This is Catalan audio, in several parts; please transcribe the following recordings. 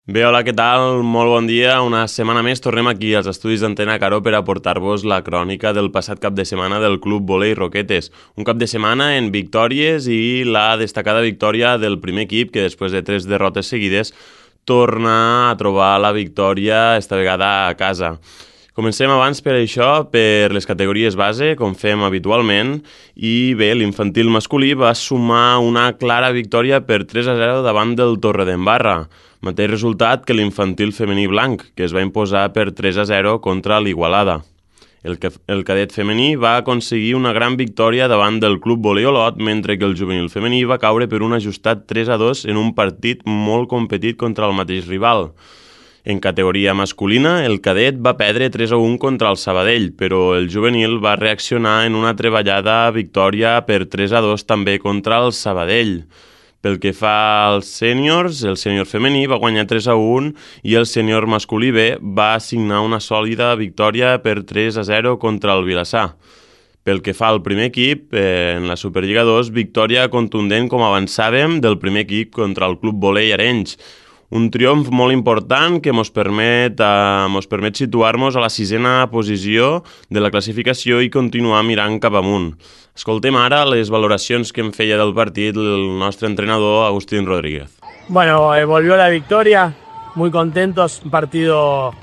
Bé, hola, què tal? Molt bon dia. Una setmana més tornem aquí als estudis d'Antena Caró per aportar-vos la crònica del passat cap de setmana del Club Volei Roquetes. Un cap de setmana en victòries i la destacada victòria del primer equip que després de 3 derrotes seguides torna a trobar la victòria, esta vegada a casa. Comencem abans per això, per les categories base, com fem habitualment, i bé, l'infantil masculí va sumar una clara victòria per 3-0 davant del Torredembarra. Mateix resultat que l'infantil femení blanc, que es va imposar per 3-0 contra l'Igualada. El cadet femení va aconseguir una gran victòria davant del Club Volei Olot, mentre que el juvenil femení va caure per un ajustat 3-2 en un partit molt competit contra el mateix rival. En categoria masculina, el cadet va perdre 3-1 contra el Sabadell, però el juvenil va reaccionar en una treballada victòria per 3-2 també contra el Sabadell. Pel que fa als sèniors, el sènior femení va guanyar 3-1 i el sènior masculí B va assignar una sòlida victòria per 3-0 contra el Vilassar. Pel que fa al primer equip, en la Superliga 2, victòria contundent, com avançàvem, del primer equip contra el Club Volei Arenys. Un triomf molt important que ens permet situar-nos a la 6a posició de la classificació i continuar mirant cap amunt. Escoltem ara les valoracions que en feia del partit el nostre entrenador Agustín Rodríguez. Bueno, volvió la victoria, muy contentos, un partido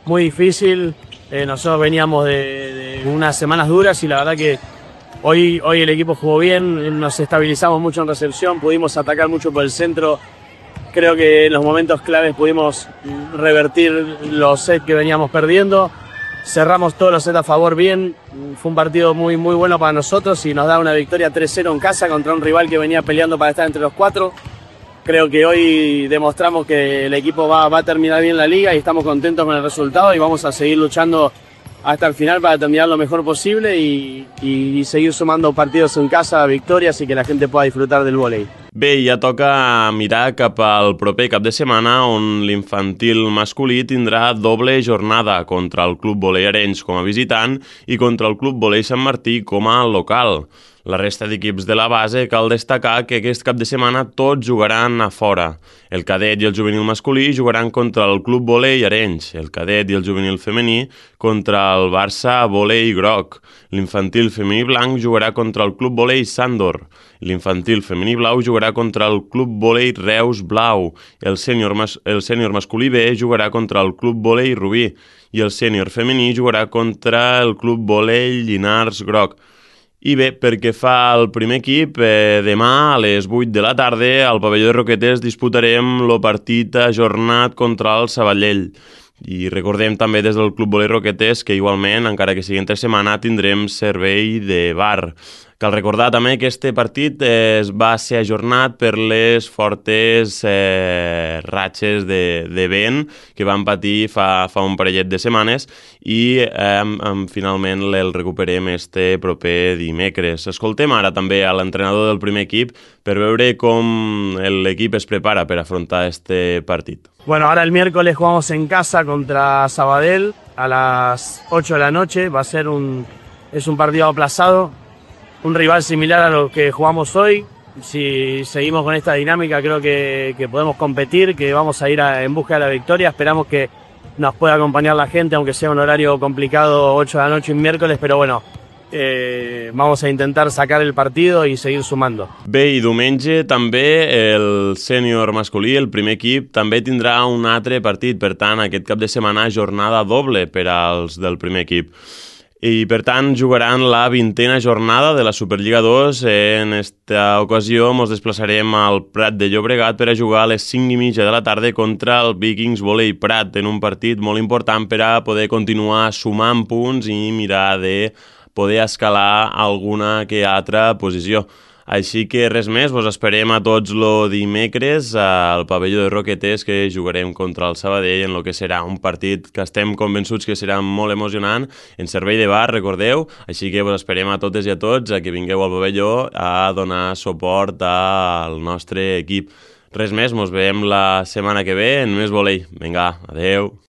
muy difícil. Nosotros veníamos de unas semanas duras y la verdad que hoy el equipo jugó bien, nos estabilizamos mucho en recepción, pudimos atacar mucho por el centro. Creo que en los momentos claves pudimos revertir los sets que veníamos perdiendo. Cerramos todos los sets a favor bien. Fue un partido muy bueno para nosotros y nos da una victoria 3-0 en casa contra un rival que venía peleando para estar entre los 4. Creo que hoy demostramos que el equipo va a terminar bien la liga y estamos contentos con el resultado y vamos a seguir luchando hasta el final para terminar lo mejor posible y seguir sumando partidos en casa, victorias y que la gente pueda disfrutar del vólei. Bé, ja toca mirar cap al proper cap de setmana on l'infantil masculí tindrà doble jornada contra el Club Volei Arenys com a visitant i contra el Club Volei Sant Martí com a local. La resta d'equips de la base cal destacar que aquest cap de setmana tots jugaran a fora. El cadet i el juvenil masculí jugaran contra el Club Volei Arenys, el cadet i el juvenil femení contra el Barça Volei Groc. L'infantil femení blanc jugarà contra el Club Volei Sàndor. L'infantil femení blau jugarà contra el Club Volei Reus Blau. El sènior masculí B jugarà contra el Club Volei Rubí i el sènior femení jugarà contra el Club Volei Llinars Groc. I bé, perquè fa el primer equip, demà a les 8 de la tarda al pavelló de Roquetes disputarem el partit ajornat contra el Sabadell. I recordem també des del Club Volei Roquetes que igualment, encara que sigui entre setmana, tindrem servei de bar. Cal recordar també que este partit va ser ajornat per les fortes ratxes de vent que van patir fa un parellet de setmanes i finalment el recuperem este proper dimecres. Escoltem ara també a l'entrenador del primer equip per veure com l'equip es prepara per afrontar este partit. Bueno, ahora el miércoles jugamos en casa contra Sabadell a las 8 de la noche. Es un partido aplazado, un rival similar a lo que jugamos hoy. Si seguimos con esta dinámica creo que podemos competir, que vamos a ir en busca de la victoria. Esperamos que nos pueda acompañar la gente, aunque sea un horario complicado, 8 de la noche un miércoles, pero bueno, vamos a intentar sacar el partido y seguir sumando. Bé, i diumenge també el sènior masculí, el primer equip, també tindrà un altre partit. Per tant, aquest cap de setmana jornada doble per als del primer equip. I per tant jugaran la 20a jornada de la Superliga 2. En esta ocasió ens desplaçarem al Prat de Llobregat per a jugar a les 5:30 de la tarda contra el Vikings Volei Prat, en un partit molt important per a poder continuar sumant punts i mirar de poder escalar alguna que altra posició. Així que res més, vos esperem a tots el dimecres al pavelló de Roquetes, que jugarem contra el Sabadell en el que serà un partit que estem convençuts que serà molt emocionant, en servei de bar, recordeu, així que vos esperem a totes i a tots a que vingueu al pavelló a donar suport al nostre equip. Res més, mos veiem la setmana que ve en més volei. Vinga, adeu.